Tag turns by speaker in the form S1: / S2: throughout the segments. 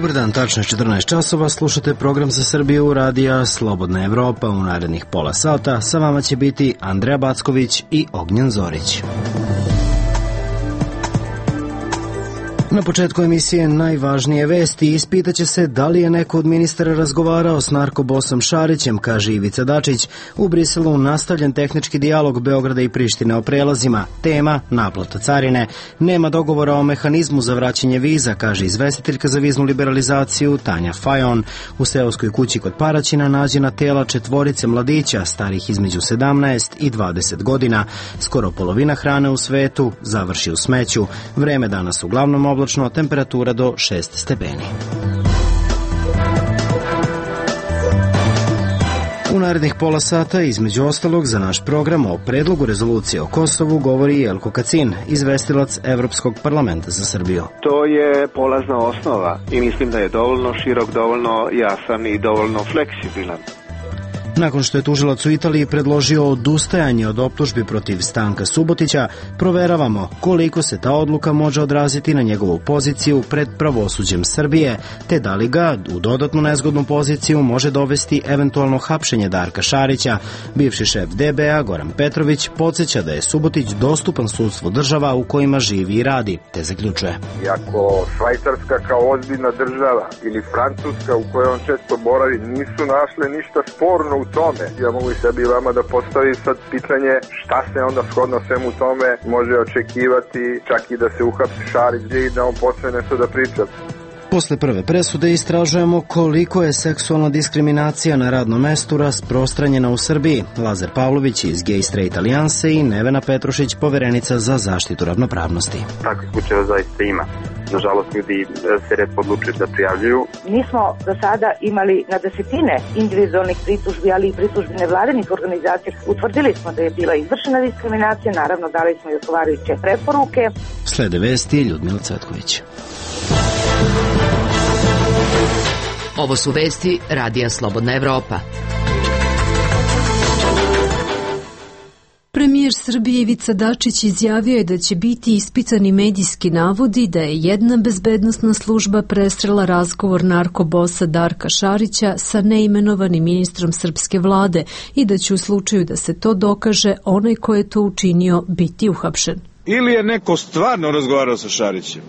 S1: Dobar dan, tačno 14 časova, slušate program za Srbiju radija Slobodna Evropa. U narednih pola sata sa vama će biti Andreja Backović i Ognjen Zorić. Na početku emisije najvažnije vesti. Ispitaće se da li je neko od ministara razgovarao s narkobosom Šarićem, kaže Ivica Dačić. U Briselu nastavljen tehnički dijalog Beograda i Prištine o prelazima. Tema naplata carine. Nema dogovora o mehanizmu za vraćanje viza, kaže izvestiteljka za viznu liberalizaciju Tanja Fajon. U seoskoj kući kod Paraćina nađena tela 4 mladića starih između 17 i 20 godina. Skoro polovina hrane u svetu završi u smeću. Vreme danas uglavnom oblačno, temperatura do 6 stepeni. U narednih pola sata, između ostalog, za naš program o predlogu rezolucije o Kosovu govori Jelko Kacin, izvestilac Evropskog parlamenta za Srbiju.
S2: To je polazna osnova i mislim da je dovoljno širok, dovoljno jasan i dovoljno fleksibilan.
S1: Nakon što je tužilac u Italiji predložio odustajanje od optužbi protiv Stanka Subotića, proveravamo koliko se ta odluka može odraziti na njegovu poziciju pred pravosuđem Srbije, te da li ga u dodatnu nezgodnu poziciju može dovesti eventualno hapšenje Darka Šarića. Bivši šef DBA Goran Petrović podsjeća da je Subotić dostupan sudstvu država u kojima živi i radi, te zaključuje.
S3: Iako Švajcarska kao ozbiljna država ili Francuska u kojoj on često boravi nisu našle ništa sporno u tome. Ja mogu i sebi i vama da postavim sad pitanje šta se onda shodno svemu tome može očekivati, čak i da se uhapsi Šarić i da on počne nešto da priča.
S1: Posle prve presude istražujemo koliko je seksualna diskriminacija na radnom mestu rasprostranjena u Srbiji. Lazar Pavlović iz Gay Straight Alijanse i Nevena Petrušić, poverenica za zaštitu ravnopravnosti.
S4: Takvih slučajeva zaista ima. Nažalost, ljudi se retko odlučuju da prijavljuju.
S5: Mi smo do sada imali na desetine individualnih pritužbi, ali i pritužbi nevladinih organizacija. Utvrdili smo da je bila izvršena diskriminacija, naravno dali smo i odgovarajuće preporuke.
S1: Slede vesti Ljudmila Cvetković.
S6: Ovo su vesti radija Slobodna Evropa.
S7: Premijer Srbije Ivica Dačić izjavio je da će biti ispitani medijski navodi da je jedna bezbednosna služba prestrela razgovor narkobosa Darka Šarića sa neimenovanim ministrom srpske vlade i da će u slučaju da se to dokaže onaj ko je to učinio biti uhapšen.
S8: Ili je neko stvarno razgovarao sa Šarićem,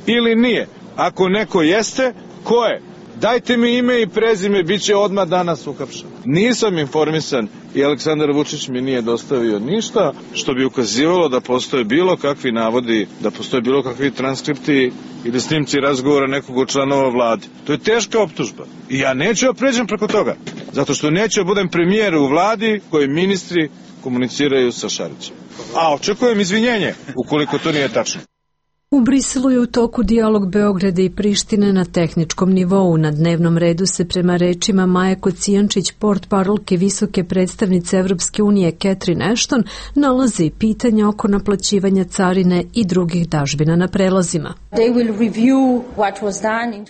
S8: ili nije. Ako neko jeste, ko je? Dajte mi ime i prezime, bit će odmah danas uhapšen. Nisam informisan i Aleksandar Vučić mi nije dostavio ništa što bi ukazivalo da postoje bilo kakvi navodi, da postoje bilo kakvi transkripti ili snimci razgovora nekog od članova vlade. To je teška optužba i ja neću da pređem preko toga, zato što neću da budem premijer u vladi koji ministri komuniciraju sa Šarićem. A očekujem izvinjenje ukoliko to nije tačno.
S7: U Briselu je u toku dijalog Beograda i Prištine na tehničkom nivou. Na dnevnom redu se prema rečima Maje Kocijančić, portparolke visoke predstavnice Evropske unije Catherine Ashton, nalaze i pitanja oko naplaćivanja carine i drugih dažbina na prelazima.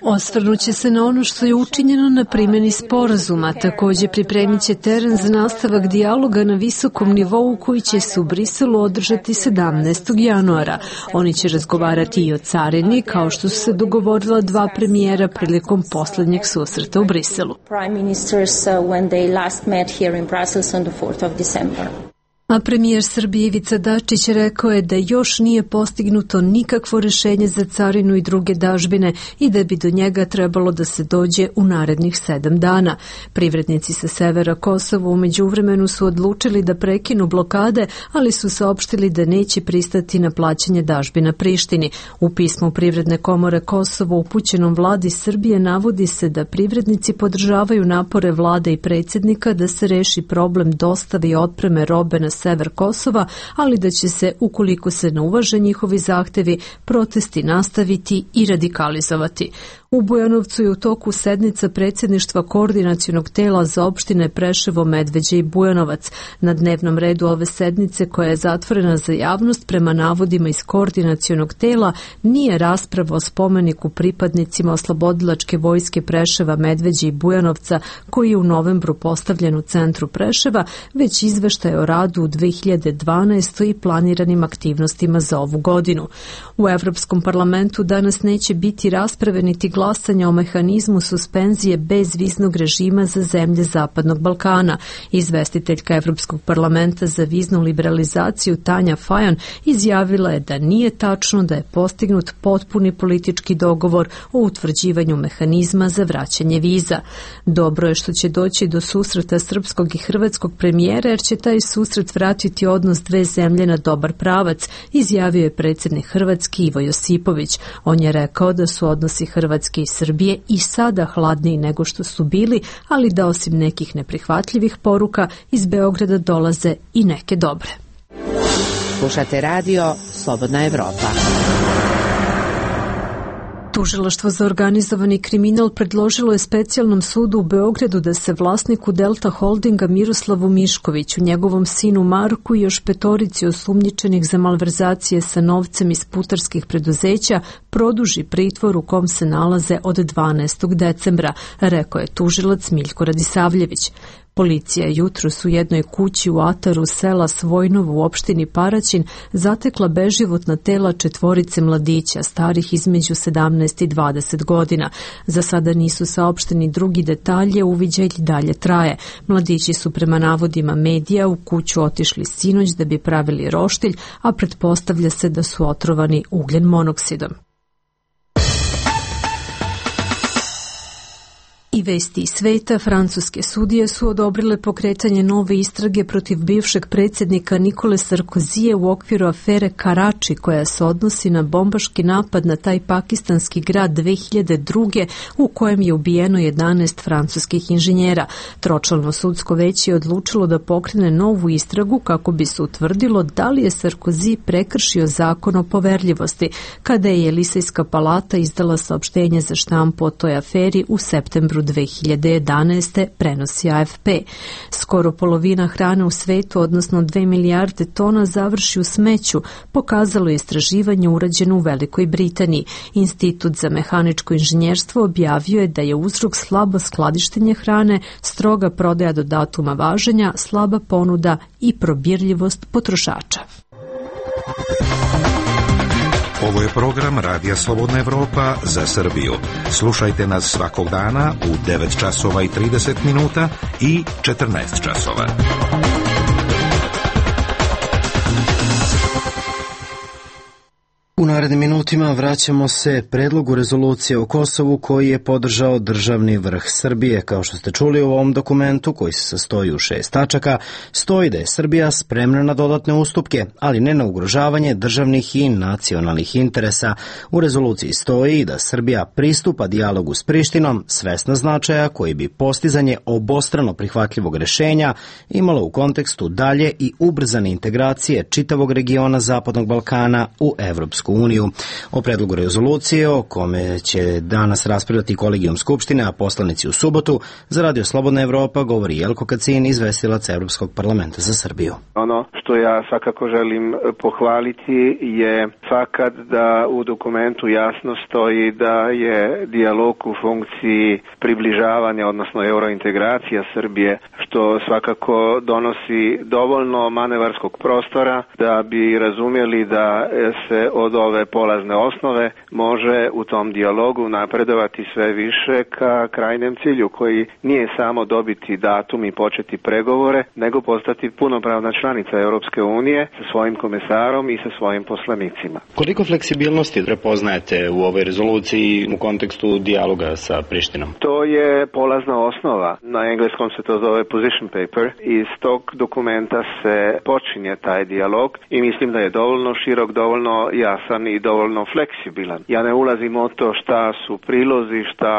S7: Osvrnuće se na ono što je učinjeno na primjeni sporazuma, također pripremit će teren za nastavak dijaloga na visokom nivou koji će se u Briselu održati 17. januara. Oni će razgovarati i o carini, kao što su se dogovorila dva premijera prilikom poslednjeg susreta u Briselu. A premijer Srbije Ivica Dačić rekao je da još nije postignuto nikakvo rešenje za carinu i druge dažbine i da bi do njega trebalo da se dođe u narednih 7 dana. Privrednici sa severa Kosova u međuvremenu su odlučili da prekinu blokade, ali su saopštili da neće pristati na plaćanje dažbina Prištini. U pismu Privredne komore Kosova upućenom vladi Srbije navodi se da privrednici podržavaju napore vlade i predsjednika da se reši problem dostave i otpreme robe na sever Kosova, ali da će se, ukoliko se ne uvaže njihovi zahtevi, protesti nastaviti i radikalizovati. U Bujanovcu je u toku sednica predsjedništva koordinacionog tela za opštine Preševo, Medveđe i Bujanovac. Na dnevnom redu ove sednice, koja je zatvorena za javnost prema navodima iz koordinacionog tela, nije rasprava o spomeniku pripadnicima oslobodilačke vojske Preševa, Medveđe i Bujanovca, koji je u novembru postavljen u centru Preševa, već izveštaj o radu u 2012. i planiranim aktivnostima za ovu godinu. U Evropskom parlamentu danas neće biti rasprave niti glasanja o mehanizmu suspenzije bezviznog režima za zemlje Zapadnog Balkana. Izvestiteljka Evropskog parlamenta za viznu liberalizaciju Tanja Fajon izjavila je da nije tačno da je postignut potpuni politički dogovor o utvrđivanju mehanizma za vraćanje viza. Dobro je što će doći do susreta srpskog i hrvatskog premijera, jer će taj susret vratiti odnos dve zemlje na dobar pravac, izjavio je predsjednik Hrvatske Ivo Josipović. On je rekao da su odnosi Hrvatske i Srbije i sada hladniji nego što su bili, ali da osim nekih neprihvatljivih poruka iz Beograda dolaze i neke dobre.
S6: Slušate radio Slobodna Evropa.
S7: Tužilaštvo za organizovani kriminal predložilo je specijalnom sudu u Beogradu da se vlasniku Delta Holdinga Miroslavu Miškoviću, njegovom sinu Marku i još petorici osumnjičenih za malverzacije sa novcem iz putarskih preduzeća produži pritvor u kom se nalaze od 12. decembra, rekao je tužilac Miljko Radisavljević. Policija je jutros u jednoj kući u ataru sela Svojnovo u opštini Paraćin zatekla beživotna tela četvorice mladića starih između 17 i 20 godina. Za sada nisu saopšteni drugi detalje, uviđaj dalje traje. Mladići su prema navodima medija u kuću otišli sinoć da bi pravili roštilj, a pretpostavlja se da su otrovani ugljen monoksidom. I vesti iz sveta, francuske sudije su odobrile pokretanje nove istrage protiv bivšeg predsjednika Nikole Sarkozije u okviru afere Karači, koja se odnosi na bombaški napad na taj pakistanski grad 2002. u kojem je ubijeno 11 francuskih inženjera. Tročlano sudsko veće je odlučilo da pokrene novu istragu kako bi se utvrdilo da li je Sarkozy prekršio zakon o poverljivosti, kada je Elisejska palata izdala saopštenje za štampu o toj aferi u septembru 2011. prenosi AFP. Skoro polovina hrane u svetu, odnosno 2 milijarde tona, završi u smeću, pokazalo je istraživanje urađeno u Velikoj Britaniji. Institut za mehaničko inženjerstvo objavio je da je uzrok slabo skladištenje hrane, stroga prodaja do datuma važenja, slaba ponuda i probirljivost potrošača.
S9: Ovo je program Radija Slobodna Evropa za Srbiju. Slušajte nas svakog dana u 9 časova i 30 minuta i 14 časova.
S1: U narednim minutima vraćamo se predlogu rezolucije o Kosovu koji je podržao državni vrh Srbije. Kao što ste čuli u ovom dokumentu, koji se sastoji u 6 tačaka, stoji da je Srbija spremna na dodatne ustupke, ali ne na ugrožavanje državnih i nacionalnih interesa. U rezoluciji stoji da Srbija pristupa dijalogu s Prištinom, svesna značaja koji bi postizanje obostrano prihvatljivog rešenja imalo u kontekstu dalje i ubrzane integracije čitavog regiona Zapadnog Balkana u Evropsku uniju. O predlogu rezolucije o kome će danas raspravljati kolegijum Skupštine, a poslanici u subotu, za Radio Slobodna Evropa govori Jelko Kacin, izvestilac Evropskog parlamenta za Srbiju.
S2: Ono što ja svakako želim pohvaliti je fakat da u dokumentu jasno stoji da je dijalog u funkciji približavanja, odnosno eurointegracija Srbije, što svakako donosi dovoljno manevarskog prostora da bi razumjeli da se od ove polazne osnove može u tom dijalogu napredovati sve više ka krajnjem cilju, koji nije samo dobiti datum i početi pregovore, nego postati punopravna članica Europske unije sa svojim komesarom i sa svojim poslanicima.
S10: Koliko fleksibilnosti prepoznajete u ovoj rezoluciji u kontekstu dijaloga sa Prištinom?
S2: To je polazna osnova. Na engleskom se to zove position paper. Iz tog dokumenta se počinje taj dijalog i mislim da je dovoljno širok, dovoljno jasan i dovoljno fleksibilan. Ja ne ulazim u to šta su prilozi, šta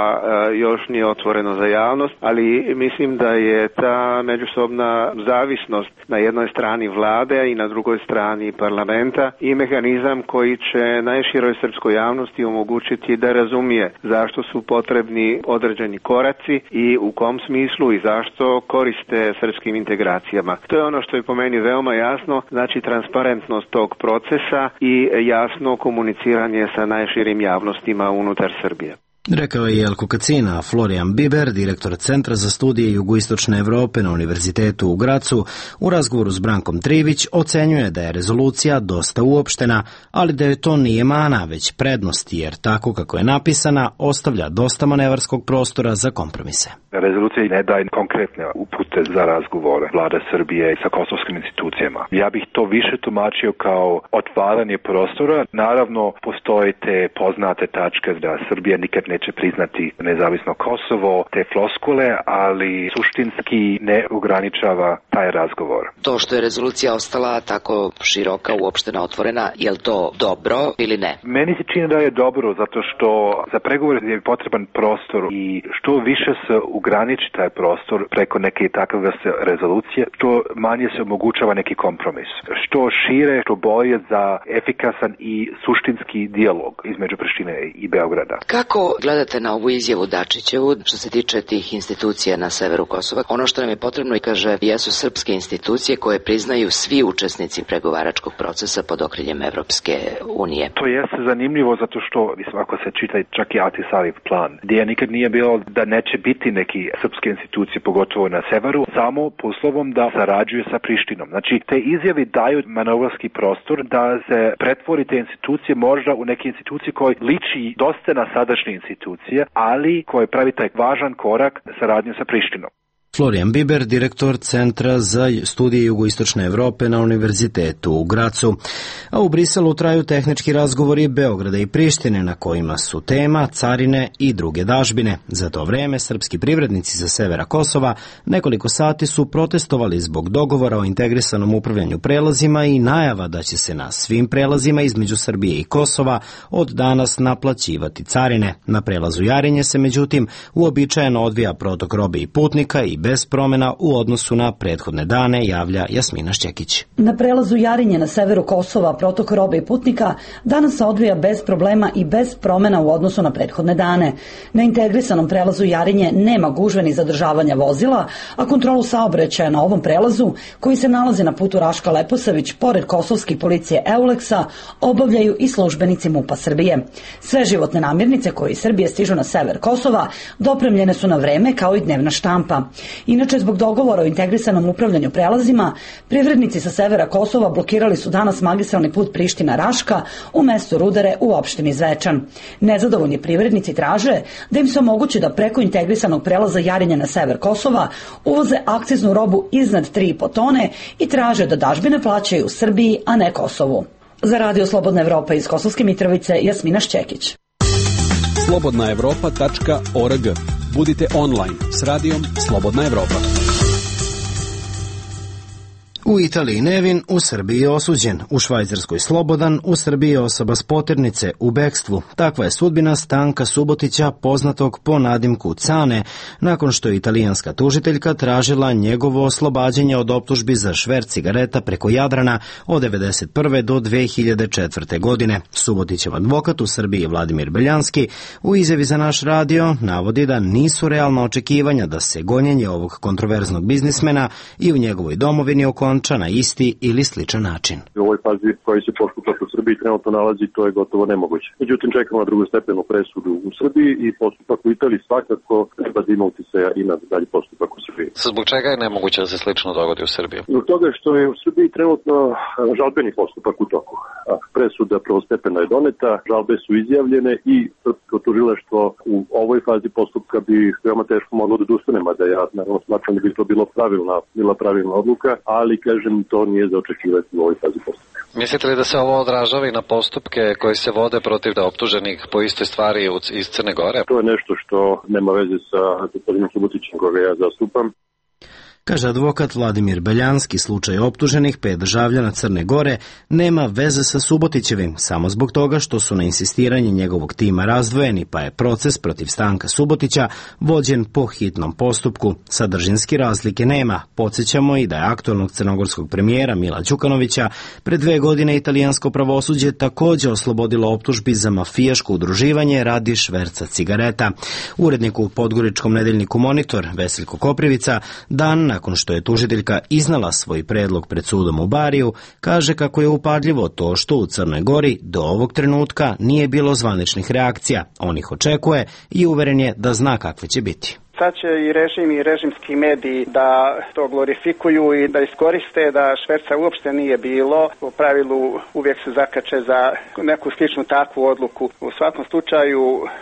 S2: još nije otvoreno za javnost, ali mislim da je ta međusobna zavisnost na jednoj strani vlade i na drugoj strani parlamenta i mehanizam koji će najširoj srpskoj javnosti omogućiti da razumije zašto su potrebni određeni koraci i u kom smislu i zašto koriste srpskim integracijama. To je ono što je po meni veoma jasno, znači transparentnost tog procesa i jasno komuniciranje sa najširim javnostima unutar Srbije.
S1: Rekao je Jelko Kacina. Florian Biber, direktor Centra za studije jugoistočne Evrope na Univerzitetu u Gracu, u razgovoru s Brankom Trivić ocenjuje da je rezolucija dosta uopštena, ali da joj to nije mana, već prednost, jer tako kako je napisana, ostavlja dosta manevarskog prostora za kompromise.
S11: Rezolucija ne daje konkretne upute za razgovore vlade Srbije sa kosovskim institucijama. Ja bih to više tumačio kao otvaranje prostora. Naravno, postoje te poznate tačke da Srbija nikad neće priznati nezavisno Kosovo, te floskule, ali suštinski ne ograničava taj razgovor.
S12: To što je rezolucija ostala tako široka, uopštena, otvorena, je li to dobro ili ne?
S11: Meni se čini da je dobro, zato što za pregovore je potreban prostor i što više se ograniči taj prostor preko neke takve vrste rezolucije, što manje se omogućava neki kompromis. Što šire, što bolje za efikasan i suštinski dijalog između Prištine i Beograda.
S12: Kako gledate na ovu izjavu Dačićevu što se tiče tih institucija na severu Kosova? Ono što nam je potrebno, i kaže, jesu srpske institucije koje priznaju svi učesnici pregovaračkog procesa pod okriljem Evropske unije.
S11: To jeste zanimljivo zato što, ako se čita čak i Ahtisaarijev plan, gdje nikad nije bilo da neće biti neki srpske institucije, pogotovo na severu, samo poslovom da sarađuje sa Prištinom. Znači, te izjave daju manevarski prostor da se pretvori te institucije možda u neke institucije koje liči dosta na sadašnje institucije, ali koje pravi taj važan korak saradnje sa Prištinom.
S1: Florian Biber, direktor Centra za studije jugoistočne Evrope na Univerzitetu u Gracu. A u Briselu traju tehnički razgovori Beograda i Prištine na kojima su tema carine i druge dažbine. Za to vreme srpski privrednici sa severa Kosova nekoliko sati su protestovali zbog dogovora o integrisanom upravljanju prelazima i najava da će se na svim prelazima između Srbije i Kosova od danas naplaćivati carine. Na prelazu Jarinje se međutim uobičajeno odvija protok robe i putnika i bez promjena u odnosu na prethodne dane, javlja Jasmina Šćekić.
S13: Na prelazu Jarinje na severu Kosova protok robe i putnika danas se odvija bez problema i bez promjena u odnosu na prethodne dane. Na integrisanom prelazu Jarinje nema gužve ni zadržavanja vozila, a kontrolu saobraćaja na ovom prelazu, koji se nalazi na putu Raška-Leposavić, pored kosovske policije Euleksa, obavljaju i službenici MUP-a Srbije. Sve životne namirnice koje iz Srbije stižu na sever Kosova dopremljene su na vreme kao i dnevna štampa. Inače, zbog dogovora o integrisanom upravljanju prelazima, privrednici sa severa Kosova blokirali su danas magistralni put Priština-Raška u mestu Rudare u opštini Zvečan. Nezadovoljni privrednici traže da im se omogući da preko integrisanog prelaza Jarinje na sever Kosova uvoze akciznu robu iznad 3,5 tone i traže da dažbine plaćaju Srbiji, a ne Kosovu. Za Radio Slobodna Evropa iz Kosovske Mitrovice, Jasmina Šćekić.
S14: slobodnaevropa.org. Budite online s radijom Slobodna Evropa.
S1: U Italiji nevin, u Srbiji osuđen, u Švajcarskoj slobodan, u Srbiji osoba s poternice u bekstvu. Takva je sudbina Stanka Subotića, poznatog po nadimku Cane, nakon što je italijanska tužiteljka tražila njegovo oslobađanje od optužbi za šverc cigareta preko Jadrana od 1991. do 2004. godine. Subotićev advokat u Srbiji Vladimir Beljanski u izjavi za naš radio navodi da nisu realna očekivanja da se gonjenje ovog kontroverznog biznismena i u njegovoj domovini okonča na isti ili sličan način.
S15: U ovoj fazi koji se postupak u Srbiji trenutno nalazi, to je gotovo nemoguće. Međutim, čekamo na drugostepenu presudu u Srbiji i postupak u Italiji svakako treba da ima uticaja i na dalji postupak u Srbiji.
S16: Zbog čega je nemoguće da se slično dogodi u Srbiji?
S15: Zbog toga što je u Srbiji trenutno žalbeni postupak u toku. Presuda prvostepena je doneta, žalbe su izjavljene i srpsko tužilaštvo u ovoj fazi postupka bi veoma teško moglo da odustane, mada ja naravno smatram da bi to bila pravilna odluka, ali kažem, to nije za očekivati u ovoj fazi postupka.
S16: Mislite li da se ovo odražava i na postupke koji se vode protiv optuženih po istoj stvari iz Crne Gore?
S15: To je nešto što nema veze sa gospodinom Subotićem koga ja zastupam.
S1: Kaže advokat Vladimir Beljanski, slučaj optuženih 5 državljana Crne Gore nema veze sa Subotićevim, samo zbog toga što su na insistiranje njegovog tima razdvojeni, pa je proces protiv Stanka Subotića vođen po hitnom postupku. Sadržinski razlike nema. Podsjećamo i da je aktualnog crnogorskog premijera Mila Đukanovića pred 2 godine italijansko pravosuđe također oslobodilo optužbi za mafijaško udruživanje radi šverca cigareta. Urednik u podgoričkom nedeljniku Monitor Veseljko Koprivica dan nakon što je tužiteljka iznala svoj predlog pred sudom u Bariju, kaže kako je upadljivo to što u Crnoj Gori do ovog trenutka nije bilo zvaničnih reakcija. On ih očekuje i uveren je da zna kakve će biti.
S17: Sad će i režim i režimski mediji da to glorifikuju i da iskoriste da šverca uopšte nije bilo. U pravilu uvijek se zakače za neku sličnu takvu odluku. U svakom slučaju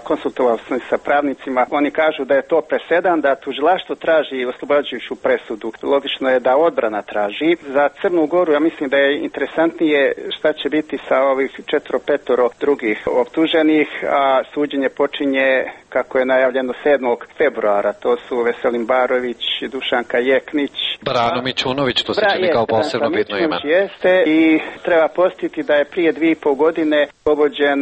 S17: konsultovao sam sa pravnicima. Oni kažu da je to presedan, da tužilaštvo traži oslobađajuću presudu. Logično je da odbrana traži. Za Crnu Goru ja mislim da je interesantnije šta će biti sa ovih 4-5 drugih optuženih, a suđenje počinje kako je najavljeno 7. februara. To su Veselin Barović, Dušanka Jeknić.
S16: Brano Mićunović, to se čini kao posebno bitno ime.
S17: Jeste i treba podsjetiti da je prije 2,5 godine povođen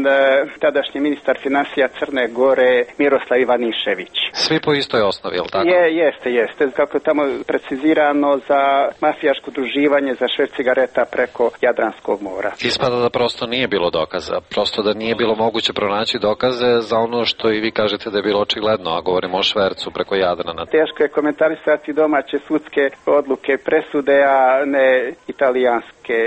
S17: tadašnji ministar financija Crne Gore Miroslav Ivanišević.
S16: Svi po istoj osnovi, je li tako?
S17: Jeste. Kako je tamo precizirano za mafijaško udruživanje za šverc cigareta preko Jadranskog mora.
S16: Ispada da prosto nije bilo dokaza, prosto da nije bilo moguće pronaći dokaze za ono što i vi kažete da je bilo očigledno, a govorimo o švercu preko Jadrana.
S17: Teško je komentarisati domaće sudske odluke, presude, a ne italijanske.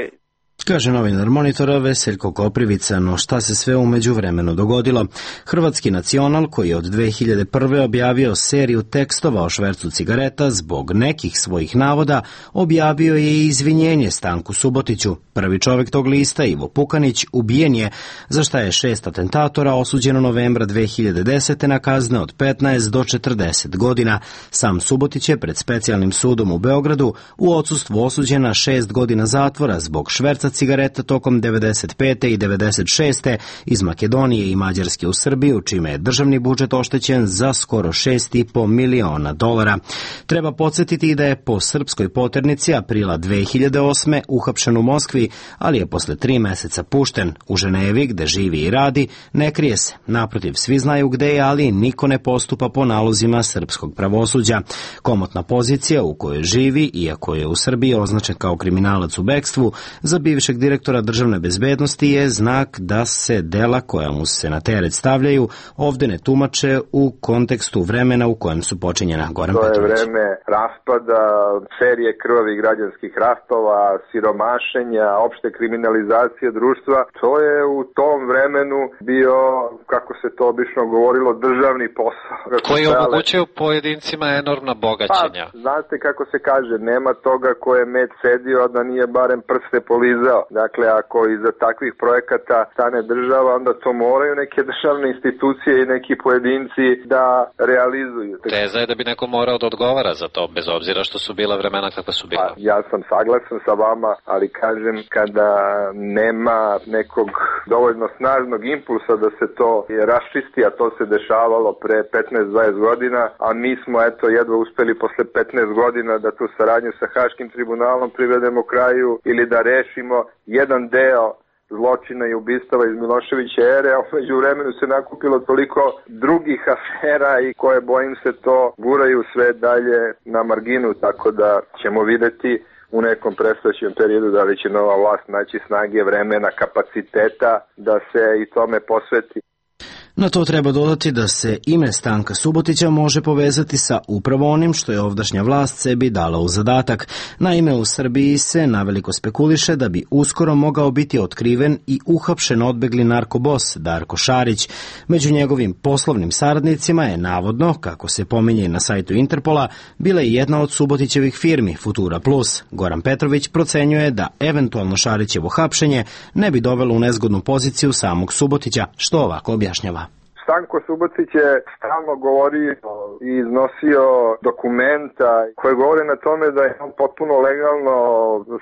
S1: Kaže novinar Monitora Veseljko Koprivica, no šta se sve u međuvremenu dogodilo? Hrvatski Nacional, koji je od 2001. objavio seriju tekstova o švercu cigareta zbog nekih svojih navoda, objavio je i izvinjenje Stanku Subotiću. Prvi čovjek tog lista, Ivo Pukanić, ubijen je, za šta je 6 atentatora osuđeno novembra 2010. na kazne od 15 do 40 godina. Sam Subotić je pred specijalnim sudom u Beogradu u odsustvu osuđen na 6 godina zatvora zbog šverca cigareta tokom 95. i 96. iz Makedonije i Mađarske u Srbiju, čime je državni budžet oštećen za skoro $6,5 miliona. Treba podsjetiti da je po srpskoj poternici aprila 2008. uhapšen u Moskvi, ali je posle 3 meseca pušten. U Ženevi, gde živi i radi, ne krije se. Naprotiv, svi znaju gde je, ali niko ne postupa po nalozima srpskog pravosuđa. Komotna pozicija u kojoj živi, iako je u Srbiji označen kao kriminalac u bekstvu, za bivšeg direktora državne bezbednosti je znak da se dela koja mu se na teret stavljaju ovde ne tumače u kontekstu vremena u kojem su počinjena. Goran Petrović.
S3: To je vreme raspada, serije krvavi građanskih ratova, siromašenja, opšte kriminalizacije društva. To je u tom vremenu bio, kako se to obično govorilo, državni posao.
S16: Koji omogućuje pojedincima enormna bogaćenja.
S3: Pa, znate kako se kaže, nema toga ko je med sedio, a da nije barem prste polizao. Dakle, ako iza takvih projekata stane država, onda to moraju neke državne institucije i neki pojedinci da realizuju.
S16: Teza je da bi neko morao da odgovara za to, bez obzira što su bila vremena kakva su bila.
S3: Pa, ja sam saglasan sa vama, ali kažem, kada nema nekog dovoljno snažnog impulsa da se to raščisti, a to se dešavalo pre 15-20 godina, a mi smo jedva uspeli posle 15 godina da tu saradnju sa Haškim tribunalom privedemo kraju ili da rešimo jedan deo zločina i ubistava iz Miloševića ere, a među vremenu se nakupilo toliko drugih afera i koje, bojim se, to guraju sve dalje na marginu, tako da ćemo videti u nekom predstojećem periodu da li će nova vlast naći snage, vremena, kapaciteta da se i tome posveti.
S1: Na to treba dodati da se ime Stanka Subotića može povezati sa upravo onim što je ovdašnja vlast sebi dala u zadatak. Naime, u Srbiji se naveliko spekuliše da bi uskoro mogao biti otkriven i uhapšen odbegli narkobos Darko Šarić. Među njegovim poslovnim saradnicima je navodno, kako se pominje na sajtu Interpola, bila i jedna od Subotićevih firmi, Futura Plus. Goran Petrović procenjuje da eventualno Šarićevo hapšenje ne bi dovelo u nezgodnu poziciju samog Subotića, što ovako objašnjava.
S3: Stanko Subotić je stalno govorio i iznosio dokumenta koje govore na tome da je on potpuno legalno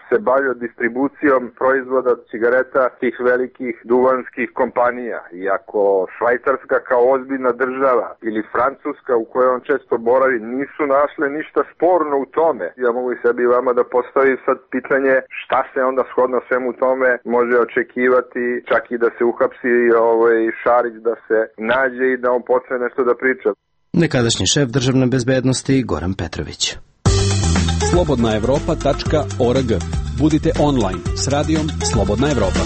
S3: se bavio distribucijom proizvoda cigareta tih velikih duvanskih kompanija. Iako Švajcarska kao ozbiljna država ili Francuska u kojoj on često boravi nisu našle ništa sporno u tome. Ja mogu i sebi i vama da postavim sad pitanje šta se onda shodno svemu tome može očekivati, čak i da se uhapsi Šarić, da se nađe i da on počne nešto da priča.
S1: Nekadašnji šef državne bezbednosti Goran Petrović.
S14: slobodnaevropa.org. Budite online s radijom Slobodna Evropa.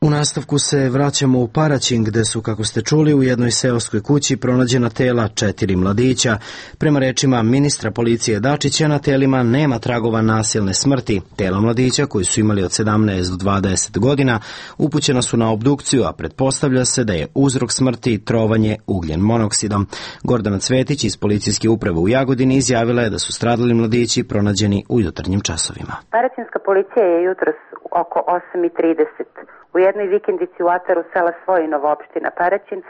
S1: U nastavku se vraćamo u Paraćin, gde su, kako ste čuli, u jednoj seoskoj kući pronađena tela 4 mladića. Prema rečima ministra policije Dačića, na telima nema tragova nasilne smrti. Tela mladića, koji su imali od 17 do 20 godina, upućena su na obdukciju, a pretpostavlja se da je uzrok smrti trovanje ugljen monoksidom. Gordana Cvetić iz policijske uprave u Jagodini izjavila je da su stradali mladići pronađeni u jutarnjim časovima.
S18: Paraćinska policija je jutros oko 8:30 u jednoj vikendici u ataru sela Svojinovo, opština Paraćin,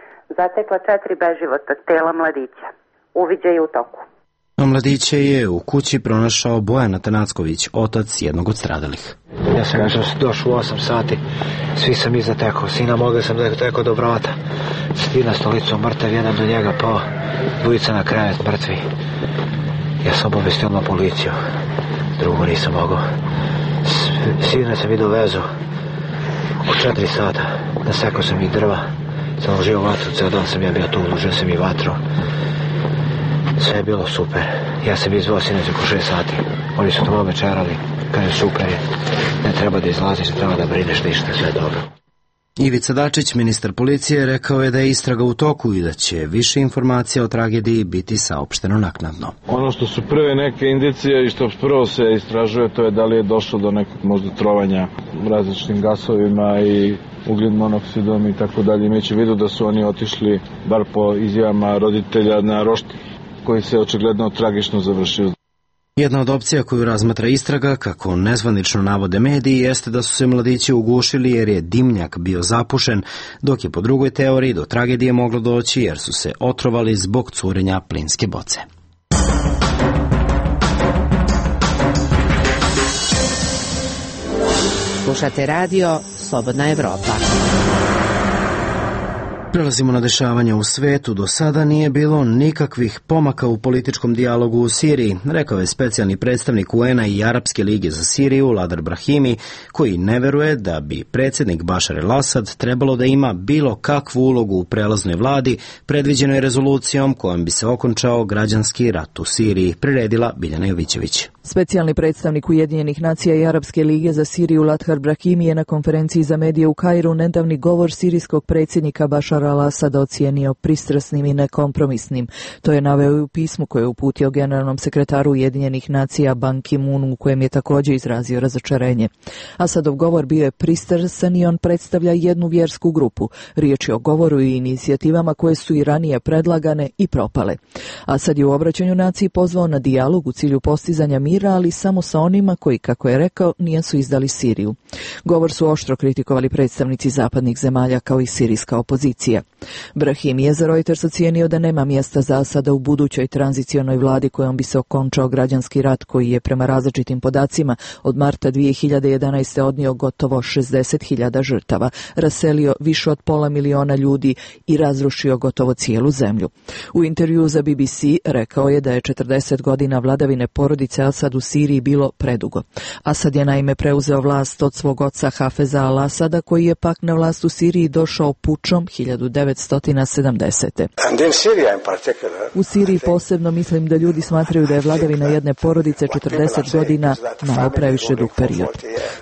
S18: zatekla 4 beživota tela mladića. Uviđaj je u toku.
S1: A mladiće je u kući pronašao Bojan Atanacković, otac jednog od stradalih.
S19: Ja sam došao u 8 sati, svi sam iza tekao, sina moga sam tekao do vrata. Svi na stolicu mrtav, jedan do njega pao, dvojica na krevet mrtvi. Ja sam obavestio na policiju, drugo nisam mogao. Sina sam i dovezao oko 4 sata, nasekao sam i drva, sam ložio vatru, ceo dan sam ja bio tu, ložio sam i vatru. Sve je bilo super. Ja sam izvao sinoć oko 6 sati. Oni su tamo večerali, kaže super je, ne treba da izlaziš, ne treba da brineš ništa, sve je dobro.
S1: Ivica Dačić, ministar policije, rekao je da je istraga u toku i da će više informacija o tragediji biti saopšteno naknadno.
S8: Ono što su prve neke indicije i što prvo se istražuje, to je da li je došlo do nekog možda trovanja različitim gasovima i ugljen monoksidom i tako dalje. Imajući u vidu da su oni otišli, bar po izjavama roditelja, na roštilj koji se očigledno tragično završio.
S1: Jedna od opcija koju razmatra istraga, kako nezvanično navode mediji, jeste da su se mladići ugušili jer je dimnjak bio zapušen, dok je po drugoj teoriji do tragedije moglo doći jer su se otrovali zbog curenja plinske boce.
S6: Slušate radio Slobodna Evropa.
S1: Prelazimo na dešavanja u svetu. Do sada nije bilo nikakvih pomaka u političkom dijalogu u Siriji, rekao je specijalni predstavnik UN-a i Arapske lige za Siriju, Ladar Brahimi, koji ne veruje da bi predsjednik Bašar el-Asad trebalo da ima bilo kakvu ulogu u prelaznoj vladi, predviđenoj rezolucijom kojom bi se okončao građanski rat u Siriji, priredila Biljana Jovićević.
S20: Specijalni predstavnik Ujedinjenih nacija i Arapske lige za Siriju Ladar Brahimi je na konferenciji za medije u Kairu nedavni govor sirijskog predsjednika Bašara al-Asada ocijenio pristrasnim i nekompromisnim. To je naveo i u pismu koje je uputio generalnom sekretaru Ujedinjenih nacija Ban Ki-moonu, u kojem je također izrazio razočarenje. Asadov govor bio je pristrasan i on predstavlja jednu vjersku grupu. Riječ je o govoru i inicijativama koje su i ranije predlagane i propale. Asad je u obraćanju naciji pozvao na dijalog u cilju postizanja mira, ali samo sa onima koji, kako je rekao, nisu izdali Siriju. Govor su oštro kritikovali predstavnici zapadnih zemalja kao i sirijska opozicija. Brahimi je za Reuters ocijenio da nema mjesta za Asada u budućoj tranzicionoj vladi kojom bi se okončao građanski rat koji je prema različitim podacima od marta 2011. odnio gotovo 60.000 žrtava, raselio više od 500.000 ljudi i razrušio gotovo cijelu zemlju. U intervju za BBC rekao je da je 40 godina vladavine porodice Asad u Siriji bilo predugo. Asad je naime preuzeo vlast od svog oca Hafeza al-Asada, koji je pak na vlast u Siriji došao pučom 1970. U Siriji posebno mislim da ljudi smatraju da je vladavina jedne porodice 40 godina malo previše dug period.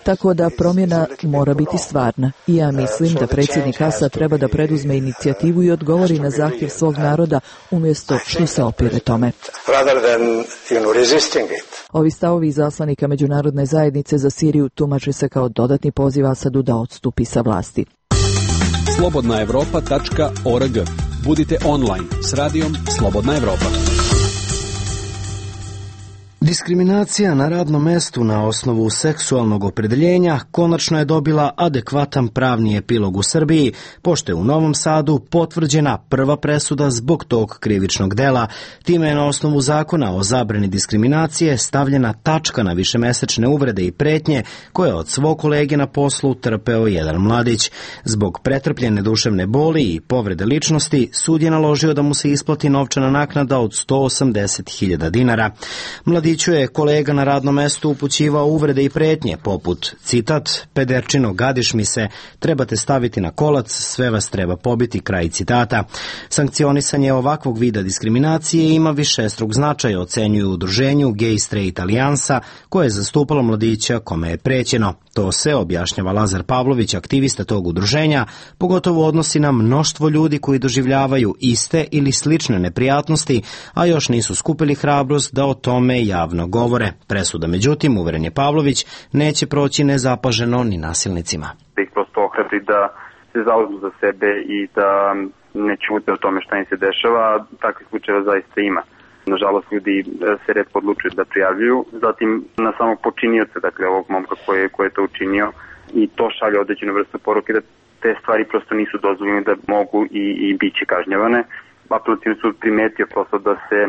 S20: Tako da promjena mora biti stvarna i ja mislim da predsjednik Asad treba da preduzme inicijativu i odgovori na zahtjev svog naroda umjesto što se opire tome. Ovi stavovi izaslanika međunarodne zajednice za Siriju tumače se kao dodatni poziv Asadu da odstupi sa vlasti.
S14: slobodnaevropa.org. Budite online s radijom Slobodna Evropa.
S1: Diskriminacija na radnom mestu na osnovu seksualnog opredeljenja konačno je dobila adekvatan pravni epilog u Srbiji, pošto je u Novom Sadu potvrđena prva presuda zbog tog krivičnog dela. Time je na osnovu zakona o zabrani diskriminacije stavljena tačka na višemesečne uvrede i pretnje koje od svog kolege na poslu trpeo jedan mladić. Zbog pretrpljene duševne boli i povrede ličnosti, sud je naložio da mu se isplati novčana naknada od 180.000 dinara. Mladiću je kolega na radnom mestu upućivao uvrede i pretnje, poput, citat, pederčino, gadiš mi se, trebate staviti na kolac, sve vas treba pobiti, kraj citata. Sankcionisanje ovakvog vida diskriminacije ima višestruk značaja, ocenjuju u udruženju Gay Straight Alijansa, koje je zastupalo mladića kome je prećeno. To se, objašnjava Lazar Pavlović, aktivista tog udruženja, pogotovo odnosi na mnoštvo ljudi koji doživljavaju iste ili slične neprijatnosti, a još nisu skupili hrabrost da o tome javno govore. Presuda, međutim, uveren je Pavlović, neće proći nezapaženo ni nasilnicima.
S4: Da ih prosto ohrabri da se zauzmu za sebe i da ne ćute o tome šta im se dešava, takvih slučajeva zaista ima. Nažalost, ljudi se retko odlučuju da prijavljuju, zatim na samog počinioca, dakle ovog momka koji je to učinio, i to šalje određenu vrstu poruke da te stvari prosto nisu dozvoljene, da mogu i bit će kažnjavane. Apelativni sud primetio prosto da se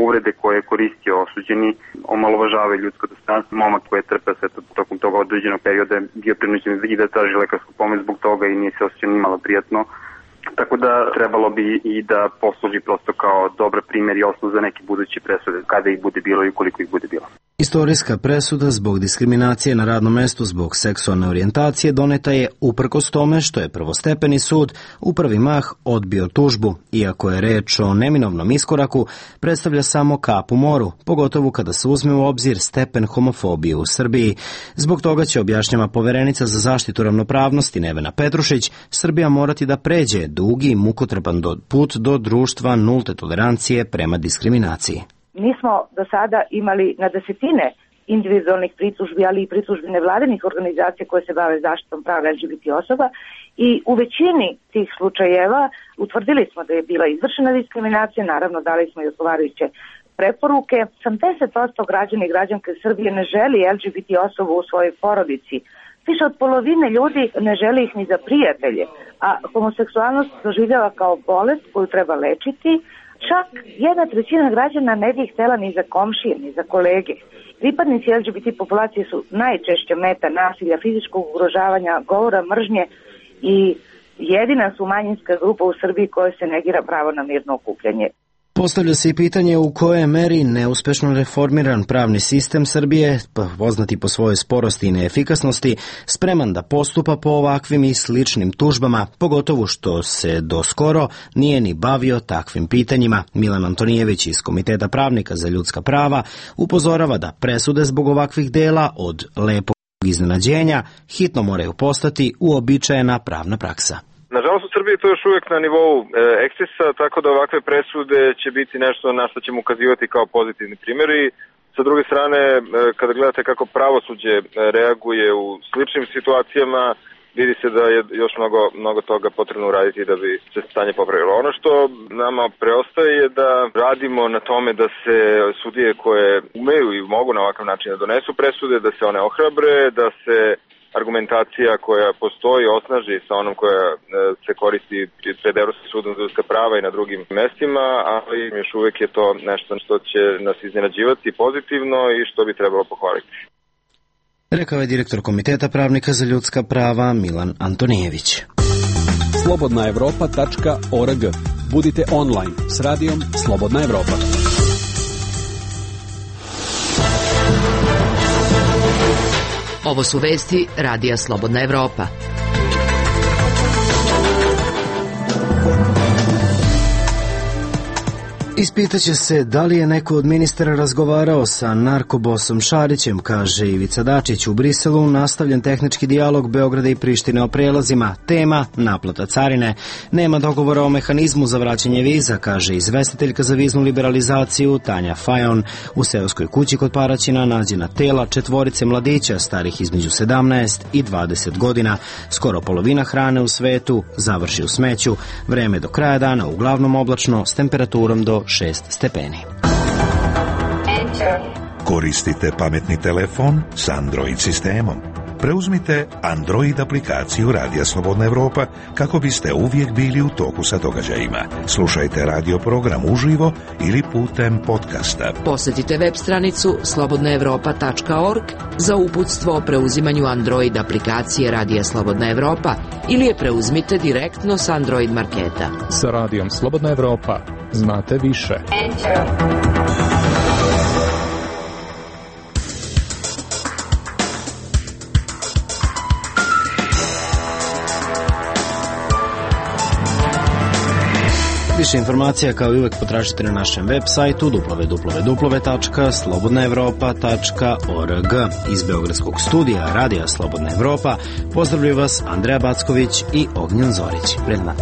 S4: uvrede koje je koristio osuđeni omalovažavaju ljudsko dostojanstvo. Momak koji je trpeo sve tokom toga određenog perioda bio prinuđen i da traži lekarsku pomoć zbog toga i nije se osjećao ni malo prijatno. Tako da trebalo bi i da posluži prosto kao dobar primjer i osnov za neke buduće presude, kada ih bude bilo i koliko ih bude bilo.
S1: Istorijska presuda zbog diskriminacije na radnom mestu zbog seksualne orijentacije doneta je uprkos tome što je prvostepeni sud u prvi mah odbio tužbu. Iako je reč o neminovnom iskoraku, predstavlja samo kap u moru, pogotovo kada se uzme u obzir stepen homofobije u Srbiji. Zbog toga će, objašnjava poverenica za zaštitu ravnopravnosti Nevena Petrušić, Srbija morati da pređe dugi i mukotrpan put do društva nulte tolerancije prema diskriminaciji.
S5: Mi smo do sada imali na desetine individualnih pritužbi, ali i pritužbi nevladinih organizacija koje se bave zaštitom prava LGBT osoba i u većini tih slučajeva utvrdili smo da je bila izvršena diskriminacija, naravno dali smo i odgovarajuće preporuke. 80% građana i građanke Srbije ne želi LGBT osobu u svojoj porodici. Više od polovine ljudi ne želi ih ni za prijatelje, a homoseksualnost doživljava kao bolest koju treba lečiti. Čak 1/3 građana ne bi ih htjela ni za komšije, ni za kolege. Pripadnici LGBT populacije su najčešće meta nasilja, fizičkog ugrožavanja, govora mržnje i jedina su manjinska grupa u Srbiji koja se negira pravo na mirno okupljanje.
S1: Postavlja se i pitanje u kojoj meri neuspešno reformiran pravni sistem Srbije, poznati po svojoj sporosti i neefikasnosti, spreman da postupa po ovakvim i sličnim tužbama, pogotovo što se do skoro nije ni bavio takvim pitanjima. Milan Antonijević iz Komiteta pravnika za ljudska prava upozorava da presude zbog ovakvih dela od lepog iznenađenja hitno moraju postati uobičajena pravna praksa.
S2: Nažalost, u Srbiji to još uvijek na nivou ekscesa, tako da ovakve presude će biti nešto na što ćemo ukazivati kao pozitivni primjeri. Sa druge strane, kada gledate kako pravosuđe reaguje u sličnim situacijama, vidi se da je još mnogo toga potrebno uraditi da bi se stanje popravilo. Ono što nama preostaje je da radimo na tome da se sudije koje umeju i mogu na ovakav način da donesu presude, da se one ohrabre, da se argumentacija koja postoji osnaži sa onom koja se koristi pred Evropskim sudom za ljudska prava i na drugim mestima, ali još uvijek je to nešto što će nas iznenađivati pozitivno i što bi trebalo pohvaliti.
S1: Rekao je direktor Komiteta pravnika za ljudska prava Milan Antonijević.
S14: slobodnaevropa.org. Budite online s radijom Slobodna Evropa.
S6: Ovo su vesti Radija Slobodna Evropa.
S1: Ispitaće se da li je neko od ministara razgovarao sa narkobosom Šarićem, kaže Ivica Dačić. U Briselu nastavljen tehnički dijalog Beograda i Prištine o prelazima. Tema naplata carine. Nema dogovora o mehanizmu za vraćanje viza, kaže izvestiteljka za viznu liberalizaciju Tanja Fajon. U seoskoj kući kod Paraćina nađena tela 4 mladića starih između 17 i 20 godina. Skoro polovina hrane u svetu završi u smeću. Vreme do kraja dana uglavnom oblačno s temperaturom do 6 stepeni.
S9: Koristite pametni telefon s Android sistemom. Preuzmite Android aplikaciju Radija Slobodna Evropa kako biste uvijek bili u toku sa događajima. Slušajte radio program uživo ili putem podcasta.
S6: Posjetite web stranicu slobodnaevropa.org za uputstvo o preuzimanju Android aplikacije Radija Slobodna Evropa ili je preuzmite direktno s Android marketa.
S14: Sa Radijom Slobodna Evropa znate više.
S1: Više informacija kao i uvek potražite na našem web sajtu www.slobodnaevropa.org. Iz Beogradskog studija Radija Slobodna Evropa pozdravljaju vas Andreja Backović i Ognjen Zorić. Prijatno.